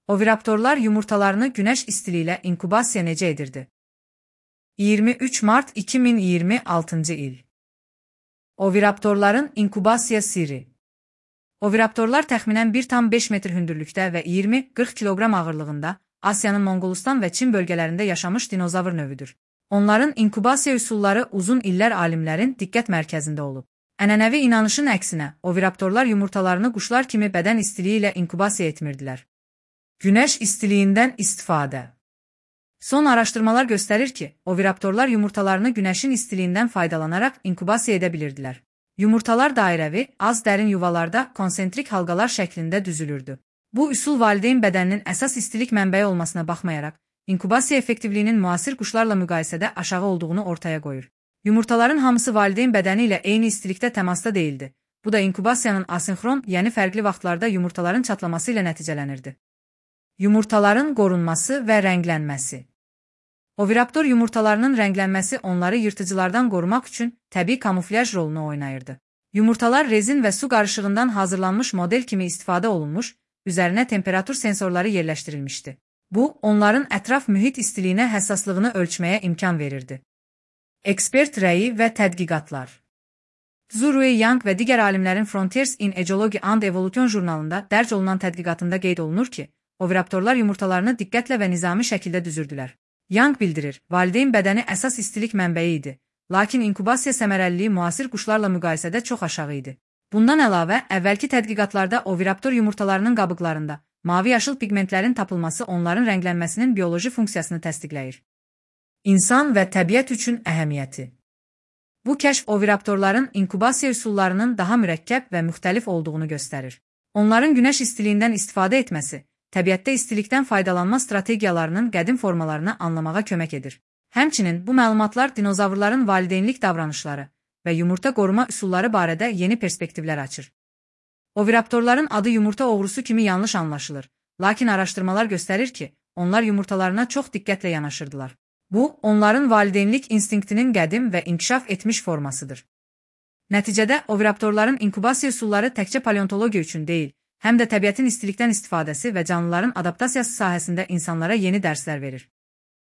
Oviraptorlar yumurtalarını güneş istiliği ilə inkubasiya necə edirdi? 23 Mart 2026 il. Oviraptorların inkubasiya sirri. Oviraptorlar təxminən 1,5 metr hündürlükdə və 20-40 kiloqram ağırlığında Asiyanın Monqolistan və Çin bölgələrində yaşamış dinozavr növüdür. Onların inkubasiya üsulları uzun illər alimlərin diqqət mərkəzində olub. Ənənəvi inanışın əksinə, oviraptorlar yumurtalarını quşlar kimi bədən istiliyi ilə inkubasiya etmirdilər. Güneş istiliyindən istifadə. Son araşdırmalar göstərir ki, oviraptorlar yumurtalarını günəşin istiliyindən faydalanaraq inkubasiya edə bilirdilər. Yumurtalar dairəvi, az dərin yuvalarda konsentrik halqalar şəklində düzülürdü. Bu üsul valideyn bədəninin əsas istilik mənbəyi olmasına baxmayaraq, inkubasiya effektivliyinin müasir quşlarla müqayisədə aşağı olduğunu ortaya qoyur. Yumurtaların hamısı valideyn bədəni ilə eyni istilikdə təmasda deyildi. Bu da inkubasiyanın asinxron, yəni fərqli vaxtlarda yumurtaların çatlaması ilə nəticələnirdi. Yumurtaların qorunması və rənglənməsi. Oviraptor yumurtalarının rənglənməsi onları yırtıcılardan qorumaq üçün təbii kamuflyaj rolunu oynayırdı. Yumurtalar rezin və su qarışığından hazırlanmış model kimi istifadə olunmuş, üzərinə temperatur sensorları yerləşdirilmişdi. Bu, onların ətraf mühit istiliyinə həssaslığını ölçməyə imkan verirdi. Ekspert rəyi və tədqiqatlar. Zurui Yang və digər alimlərin Frontiers in Ecology and Evolution jurnalında dərc olunan tədqiqatında qeyd olunur ki, oviraptorlar yumurtalarını diqqətlə və nizami şəkildə düzürdülər. Yang bildirir, valideyn bədəni əsas istilik mənbəyi idi, lakin inkubasiya səmərəliliyi müasir quşlarla müqayisədə çox aşağı idi. Bundan əlavə, əvvəlki tədqiqatlarda oviraptor yumurtalarının qabıqlarında mavi-yaşıl pigmentlərin tapılması onların rənglənməsinin bioloji funksiyasını təsdiqləyir. İnsan və təbiət üçün əhəmiyyəti. Bu kəşf oviraptorların inkubasiya üsullarının daha mürəkkəb və müxtəlif olduğunu göstərir. Onların günəş istiliyindən istifadə etməsi, təbiətdə istilikdən faydalanma strategiyalarının qədim formalarını anlamağa kömək edir. Həmçinin bu məlumatlar dinozavrların valideynlik davranışları və yumurta qoruma üsulları barədə yeni perspektivlər açır. Oviraptorların adı yumurta oğrusu kimi yanlış anlaşılır, lakin araşdırmalar göstərir ki, onlar yumurtalarına çox diqqətlə yanaşırdılar. Bu, onların valideynlik instinktinin qədim və inkişaf etmiş formasıdır. Nəticədə, oviraptorların inkubasiya üsulları təkcə paleontologiya üçün deyil, həm də təbiətin istilikdən istifadəsi və canlıların adaptasiyası sahəsində insanlara yeni dərslər verir.